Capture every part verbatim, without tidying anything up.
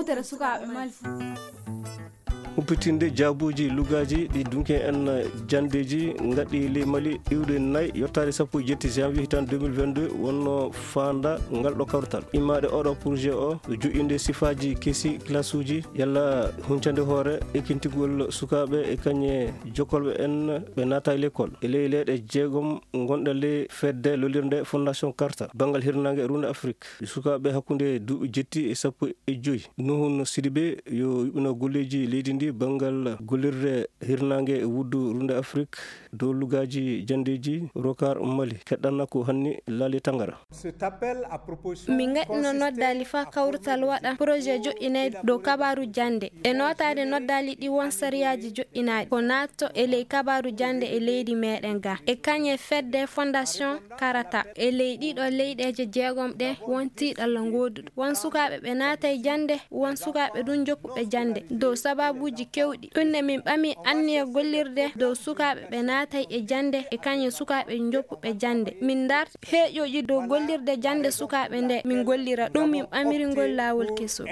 Tere sukaaɓe Mali fof. Humpitinde jaabuuji lugaaji ɗi dunki en janndeeji ngaɗɗi ley Mali iwde nay yottaade sappo e jetti janvier hitaande deux mille vingt-deux wonno faanda ngal ɗo kawrital. Immaade oɗo projet o, joƴƴinde sifaaji kesi, classe uji, yalla huncande hoore, ekkintigol sukaaɓe e kañe jokkolɓe en ɓe naata e l'école. E ley leyɗe jeegom ngonɗe ley fedde lollirnde Fondation Carter, banngal hirnaange e Runde Afrik, sukaaɓe hakkunde duuɓi jetti e sappo e joyi. Nuhun Sidibe yo yuɓɓino golleeji leydi ndi banngal gollirde hirnaange e wuddu Runde Afrik dow lugaaji janndeeji Rokar Mali. Keɗɗanna ko hanni laali tangara. Min ngaɗino noddaali faa kawrital waɗa projet joƴƴinayde dow kabaaru jannde. E nootaade noddaali ɗi won sariyaaji joƴƴinaaɗi ko naatto e ley kabaaru jannde e leydi meɗen ga. E kañe fedde Fondation Karata. E ley ɗiɗo leyɗeeje jeegom ɗe won tiiɗalla ngooduɗo. Won sukaaɓe ɓe naatay jannde, won sukaaɓe ɗum joppuɓe jannde. Dow sababuuji kewɗi. Ɗum ne min ɓami anniya gollirde dow sukaaɓe ɓe naatay e jannde e kañe sukaaɓe joppuɓe jannde. Min ndar heeƴooji dow gollirde jannde sukaaɓe nde min gollira ɗum min ɓamiri ngol laawol kesol.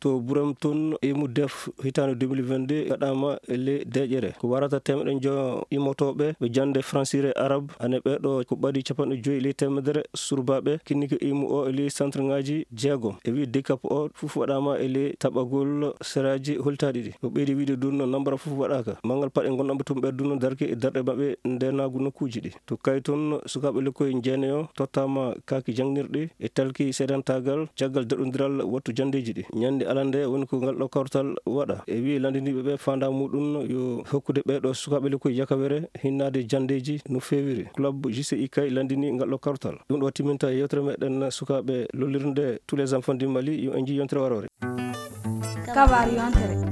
To Buram toon, emu def hitaande deux mille vingt-deux waɗaama e ley deeƴere. Ko warata teemedde njo immotooɓe ɓe jannde fransire arab, ane ɓeeɗo ko ɓadi capanɗe joyi ley teemedere surbaaɓe kinnike imu o e ley centre ŋaaji jeegom. E wi dekap o fof waɗaama e ley taɓagol seraaji holtaaɗi ɗi. O ɓeydi wiide ɗum no nambara fof waɗaaka. Manngal paɗe ngonɗamɓe toon ɓe ɗum no darke e darɗe maɓɓe ndenaagu nokkuuji ɗi. To kay toon, sukaaɓe lekkoy jeenayo tottaama kaaki jaŋnirɗi e talki seedantaagal caggal daɗondiral wattu janndeeji ɗi. Ñannde alande woni ko ngal ɗo kawtal waɗa. E wiye lanndiniiɓe ɓe faandaa muɗum yo hokkude ɓee ɗo sukaaɓe lekkoy yakawere hinnaade janndeeji no feewiri. Club J C I kay lanndini ngal ɗo kawtal. Ɗum ɗo timminta yewtere meɗen sukaaɓe lollirnde Tous les enfants du Mali, yo en njii yontere waroore. Kabaaru yontere.